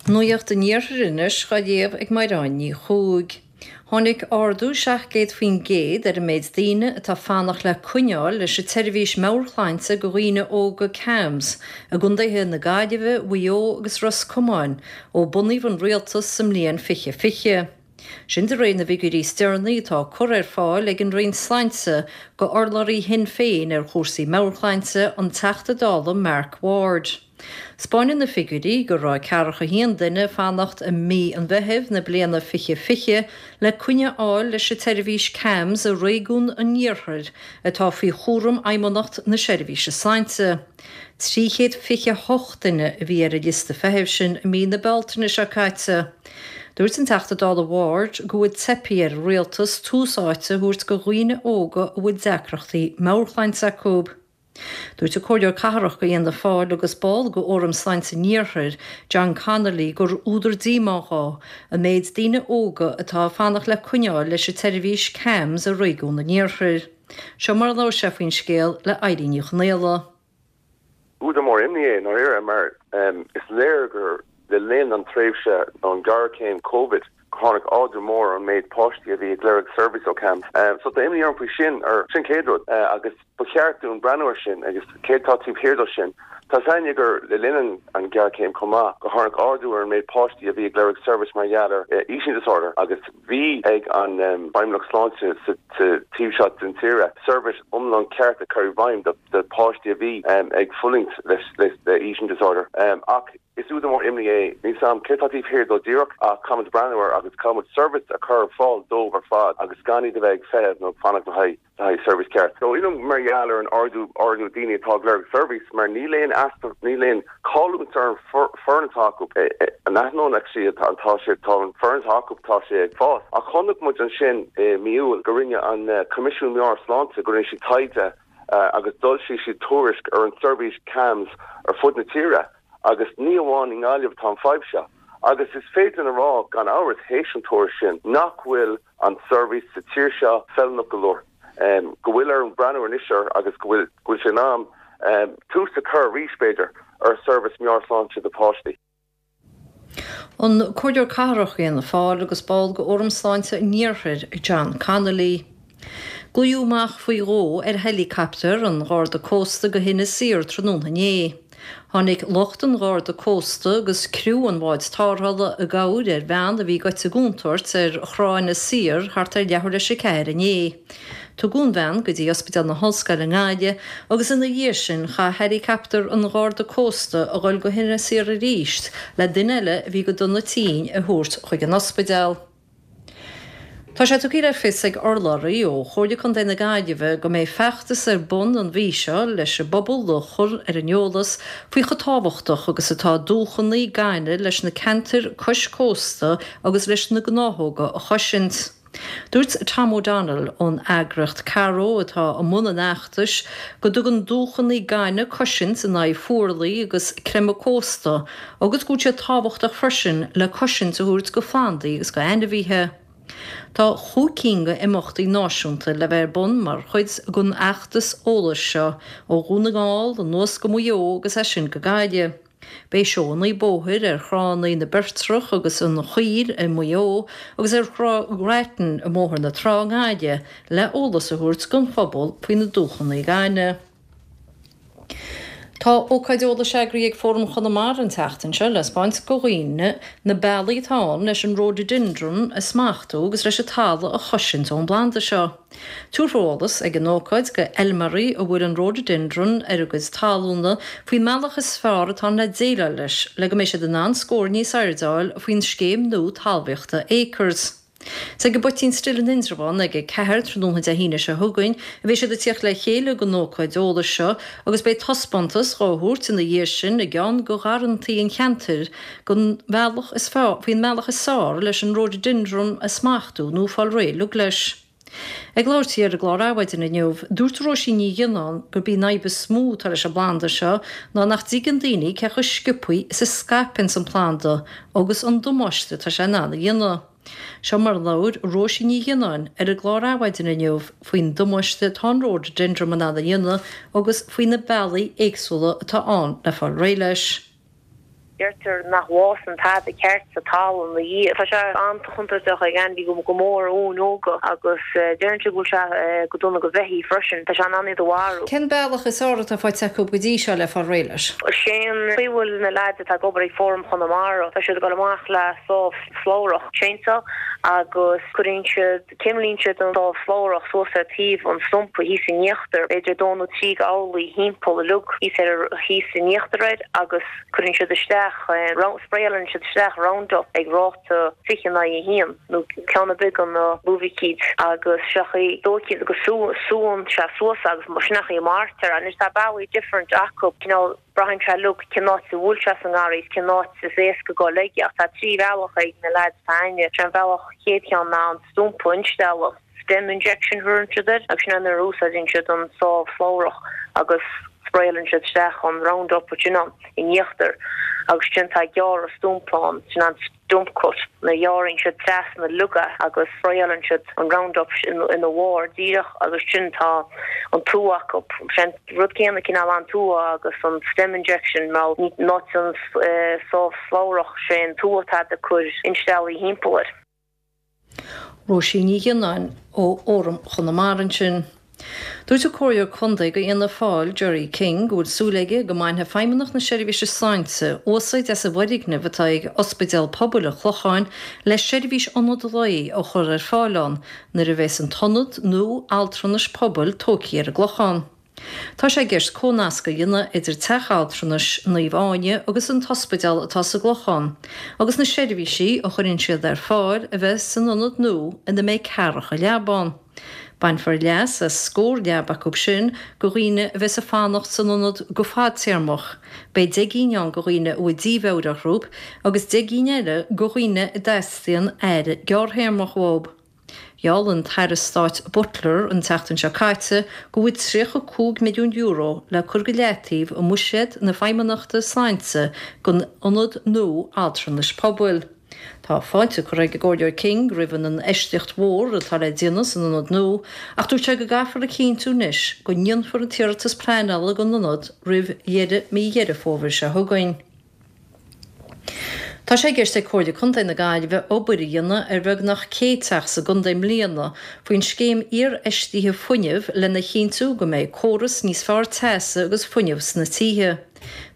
Nuacht an Iarthair anois dhá léamh ag Maighreáin Ní Chuaig. Tháinig ardú 700% ar an méid daoine atá ag fanacht le coinneáil leis an tseirbhís meabhairshláinte do dhaoine óga CAMHS i gcontaetha na Gaillimhe, Mhaigh Eo agus Ros Comáin ó bunaíodh an rialtas sa mbliain 2020. Sin de réir na bhfigiúirí is deireanaí atá curtha ar fáil ag an Roinn Sláinte go urlabhraí Shinn Féin ar chúrsaí meabhairshláinte, an Teachta Dála Mark Ward. 'Spáineann na figiúirí go raibh ceathracha haon duine ag fanacht i mí an Mheithimh na bliana 2020 le coinne a fháil leis an tseirbhís CAMHS i réigiún an Iarthair atá faoi chúram Fheidhmeannacht na Seirbhíse Sláinte. 328 duine a bhí ar an liosta feithimh sin i mí na Bealtaine seo caite. Dúirt an Teachta Dála Ward go bhfuil teipthe ar an Rialtas tús áite a thabhairt go dhaoine óga a bhfuil deacrachtaí meabhairshláinte acu. Dúirt an Comhairleoir Cathrach go Fhianna Fáil agus ball go Fhóram Sláinte an Iarthair, John Connolly, gur údar díomá dhó an méid daoine óga atá ag fanacht le coinneáil leis an tseirbhís CAMHS i réigiún an Iarthair. Seo mar a labhair sé faoin scéal le Eilín Ní Chonaola. Údar mór imní é, i ndáiríre, mar is léir gur le linn an tréimhse nó an ghéarchéim Covid gur tháinig ardú mór ar an méid páistí a bhí ag lorg seirbhís ó CAMHS. So tá imní orm faoi sin, ar sin chéad rud, agus ba cheart dúinn breathnú ar sin agus céard tá taobh thiar dó sin. Tá a fhios againne gur le linn an ghéarchéim chomh maith gur tháinig ardú ar an méid páistí a bhí ag lorg seirbhís mar gheall ar eating disorder agus bhí ag an bhFeidhmeannacht Sláinte sa taobh seo den tíre seirbhís iomlán ceart a chur i bhfeidhm do páistí a bhí ag fulaingt le eating disorder. Ach Is údar mór imní é. Níl 's a'm céard tá taobh thiar dó díreach ach caithfimid breathnú air agus caithfimid seirbhís a chur ar fáil dóibh ar fad agus gan iad a bheith ag feitheamh nó ag fanacht le haghaidh le haghaidh seirbhís ceart. So imní mar gheall ar an ardú ardú daoine atá ag lorg seirbhís mar níl aon easpa níl aon chailliúint ar an foireann atá acu in ainneoin actually atá tá sé tá an foireann atá acu tá sé ag fás. Ach chonaic muid ansin i mí Iúil go rinne an Coimisiún Meabhair-Shláinte go rinne siad taighde agus d'fhoilsigh siad tuairisc ar an seirbhís CAMHS ar fud na tíre. Agus ní amháin i nGaillimh atá an fadhb seo. Agus is féidir linn a rá, gan amhras, théis an tuairisc sin, nach bhfuil an tseirbhís sa tír seo feiliúnach go leor. Go bhfuil orainn breathnú anois air agus go bhfuil, go bhfuil sé in am tús a chur arís, b'fhéidir, ar sheirbhís meabhairshláinte do pháistí. An Comhairleoir Cathrach Fhianna Fáil agus ball de Fhóram Sláinte an Iarthair, John Connolly. Glaodh amach faoi dhó ar heileacaptar an Gharda Cósta go hInis Oírr tráthnóna inné. Tháinig lucht an Gharda Cósta agus criú an bháid tarrthála i gcabhair ar bhean a bhí gaibhte i gcontúirt ar thrá Inis Oírr thart ar leathuair leis 4 inné. Tugadh an bhean go dtí Ospidéal na hOllscoile i nGaillimh agus ina dhiaidh sin chaith heileacaptar an Gharda Cósta a dhul go hInis Oírr arís le duine eile a bhí go dona tinn a thabhairt chuig an ospidéal. Tá sé tugtha le fios ag urlabhraí ó Chomhairle Contae na Gaillimhe go mbeidh feachtas ar bun an mhí seo leis an bpobal a chur ar an eolas faoi chomh tábhachtach agus atá dumhchanna gainimh leis na ceantair cois cósta agus leis na gnáthóga a chosaint. Dúirt Tom O'Donnell ón eagraíocht CARO atá i mbun an fheachtais go dtugann dumhchanna gainimh cosaint in aghaidh fuarlaigh agus creimeadh cósta agus go bhfuil siad tábhachtach freisin le cosaint a thabhairt go phlandaí agus go ainmhithe. Tá chúig cinn go imeachtaí náisiúnta le bheith ar bun mar chuid den fheachtas eolais seo, ó Dhún na nGall anuas go Maigh Eo agus as sin go Gaillimh. Beidh seóanna bóthair ar thránna na Beirtreach agus an Choill i Maigh Eo agus ar Thrá Grattan i mBóthar na Trá i nGaillimh le eolas a thabhairt don phobal faoi na dumhchanna gainimh. Tá ócáid eolais eagraithe ag Fóram Chonamara an tseachtain seo le 'spáint go dhaoine na bealaí atá ann leis an Rhododendron a smachtú agus leis an talamh a chosaint ón bplanda seo. Tabharfar eolas ag an ócáid go fheilméaraí a bhfuil an Rhododendron ar a gcuid talúna faoin mbealach is fearr atá ann le déileáil leis le go mbeidh siad in ann scór níos airde a fháil faoin scéim nua talmhaíochta Acres. Is ag an bPoitín Stil in Indreabhán ag 4 tráthnóna Dé hAoine seo chugainn a bheidh siad ag tíocht le chéile don ócáid eolais seo agus beidh taispeántas dhá thabhairt ina dhiaidh sin i gceann de gharrantaí an cheantair den bhealach is faoin mbealach is fearr leis an Rhododendron a smachtú nó fáil réidh uilig leis. Ag labhairt di ar an gclár Adhmhaidin inniu, dúirt Róisín Ní Ghionnáin gurb í an fhadhb is mó atá leis an bplanda seo ná nach dtuigeann daoine cé chomh sciobthaí is a scaipeanns an planda agus an damáiste atá sé in ann a dhéanamh. Seo mar a labhair Róisín Ní Ghionnáin ar an gclár Adhmhaidin inniu faoin damáiste atá an Rhododendron in ann a dhéanamh agus faoi na bealaí éagsúla atá ann le fáil réidh leis. Deirtear nach bhfásann tada ceart sa talamh ina dhiaidh. Tá sé an-chontúirteach ag ainmhí go mór uain óga agus deireann siad go bhfuil sé go dona go bheithígh freisin. Tá sé in ann iad a mharú. Cén bealach is fearr atá faighte acu go dtí seo le fáil réidh leis? Sé an chaoi a bhfuil na leaids atá ag obair ag Fóram Chonamara, tá siad ag dul amach le sábh slabhrach, chainsaw, agus cuireann siad, Cuimlíonn siad an sábh slabhrach suas ar taobh an stumpa thíos in íochtar, b'fhéidir dó nó trí d'orlaí thimpeall uilig thíos ar thíos in íochtar air agus cuireann siad isteach, spraeálann siad isteach Roundup ag ráta 20 in aghaidh 1 nó ceann ar bith de na luibhicíd agus sé an chaoi dóichí go súnn sé suas agus sin an chaoi a maraítear. Anois tá bealaí different acu cineál. Braitheann sé uilig cén áit a bhfuil sé sa ngarraí is cén áit is éasca dul aige ach tá 3 bhealach ag na leaids atá againne. Sé an bhealach chéad cheann ná an stumpa a instealladh, stem injection a thugann siad air, agus sin é nuair a úsáideann siad an sábh slabhrach agus spraeálann siad isteach an Roundup ansin ann in íochtar agus ansin tá gearradh stumpa ann, sin an. stump cut, nuair a ghearrann siad trasna uilig é agus spraeálann siad an Roundup ina bharr díreach agus sin tá an tua acu. Sé an rud céanna cineál an tua agus an stem injection mar in áit an sábh slabhrach sé an tua atá ag cur insteallaí thimpeall air. Róisín Ní Ghionnáin ó Fhóram Chonamara ansin. Dúirt an Comhairleoir Contae do Fhianna Fáil, Gerry King, go bhfuil súil aige go mbainfidh Feidhmeannacht na Seirbhíse Sláinte úsáid as an bhfoirgneamh atá ag Ospidéal Pobail an Chlocháin le seirbhís ionad lae a chur ar fáil ann nuair a bheas an t-ionad nua altranais pobail tógtha ar an gClochán. Tá sé i gceist comhnasc a dhéanamh idir teach altranais Naomh Áine agus an t-ospidéal atá sa gClochán agus na seirbhísí a chuireann siad ar fáil a bheith san ionad nua ina mbeidh ceathracha leaba ann. Bainfear leas as scór leaba acu sin go dhaoine a bheas ag fanacht san ionad go fadtéarmach. Beidh 10 gcinn ann go dhaoine a bhfuil dímheabhair orthu agus 10 gcinn eile go dhaoine a dteastaíonn aire gearrthéarmach uathu. Gheall an tAire Stáit Butler an tseachtain seo caite go bhfuil €35 milliún le cur go leataobh i mbuiséad na Feidhmeannachta Sláinte don ionad nua altranais pobail. Tá fáilte curtha ag an gComhairleoir King roimh an infheistíocht mhór atá le déanamh san ionad nua ach dúirt sé go gcaithfear a chinntiú anois go ndéanfar an t-iarratas pleanála don ionad roimh dheireadh mí Dheireadh Fómhair seo chugainn. Tá sé i gceist ag Comhairle Contae na Gaillimhe obair a dhéanamh ar bheagnach 100 teach sa gcontae i mbliana faoin scéim iarfheistithe fuinnimh lena chinntiú go mbeidh córas níos fearr teasa agus fuinnimh sna tithe.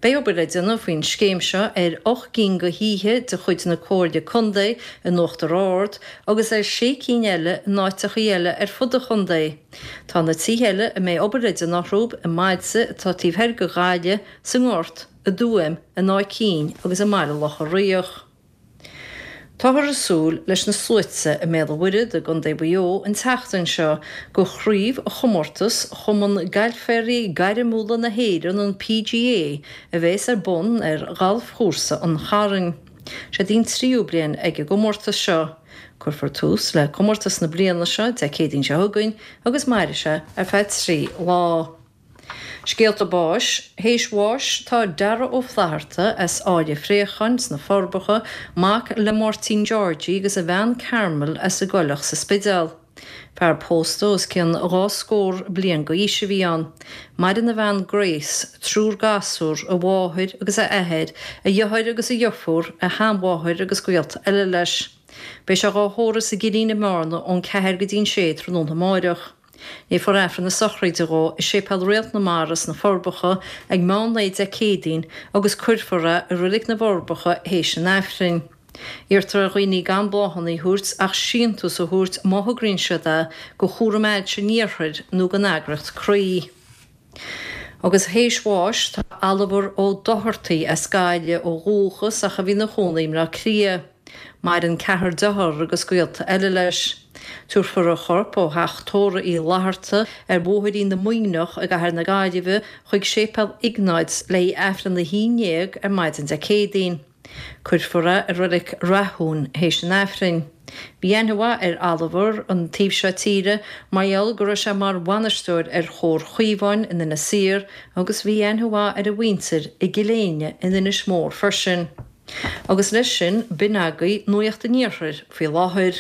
Beidh obair le déanamh faoin scéim seo ar 8 gcinn de thithe de chuid na Comhairle Contae in Uachtar Ard agus ar 6 cinn eile in áiteachaí eile ar fud an chontae. Tá na tithe eile a mbeidh obair le déanamh orthu i mbailte atá taobh thoir de Ghaillimh, sa nGort, i dTuaim, in Áth Cinn agus i mBaile Locha Riach. Táthar ag súil leis na sluaite i mBéal an Mhuirthead i gContae Mhaigh Eo an tseachtain seo go chraobhchomórtas Chumann Gailféirí Gairmiúla na hÉireann, an PGA, a bheas ar bun ar Ghalfchúrsa an Chairn. Seod í an tríú bliain ag an gcomórtas seo. Cuirfear tús le comórtas na bliana seo Dé Céadaoin seo chugainn agus mairfidh sé ar feadh 3 lá. Scéalta báis, Théis bháis tá Dara Ó Flatharta as Árainn Phréacháin sna Forbacha, mac le Máirtín Georgie agus a bhean Carmel as an gCoileach sa Spidéal. Fear pósta os cionn dhá scór bliain d'aois a bhí ann. Maireann a bhean Grace, triúr gasúr, a mháthair agus a athair, a dheartháir agus a dheirfiúr, a sheanmháthair agus gaolta eile leis. Beidh sé dhá thórramh sa gCillín i mBearna ón 4 go dtí an 6 tráthnóna amáireach. Léifear Aifreann na sochraide dhó i Séipéal Réalt na Mara sna Forbacha ag meán lae Dé Céadaoin agus cuirfear é i Reilig na bhForbacha théis an Aifrinn. Iarrtar ar dhaoine gan bláthanna a thabhairt ach síntiús a thabhairt má thograíonn siad é go Chúram Ailse an Iarthair nó don eagraíocht Croí. Agus théis bháis tá Oliver Ó Dochartaigh as Gaillimh ó dhúchas ach a bhí ina chónaí i mBleá Cliath. Maireann ceathrar dearthár agus gaolta eile leis. Tabharfar a chorp ó theach tórraimh Uí Fhlatharta ar Bhóithrín na Muimhneach i gcathair na Gaillimhe chuig Séipéal Iognáid le haghaidh Aifreann a 11 ar maidin Dé Céadaoin. Cuirfear é i Reilig Rathún théis an Aifrinn. Bhí aithne mhaith ar Oliver an taobh seo tíre mar gheall go raibh sé mar bhainisteoir ar Chomhar Chaomháin in Inis Oírr agus bhí aithne mhaith ar a mhuintir i gCill Éinne in Inis Mór freisin. Agus leis sin, b'in agaibh Nuacht an Iarthair faoi láthair.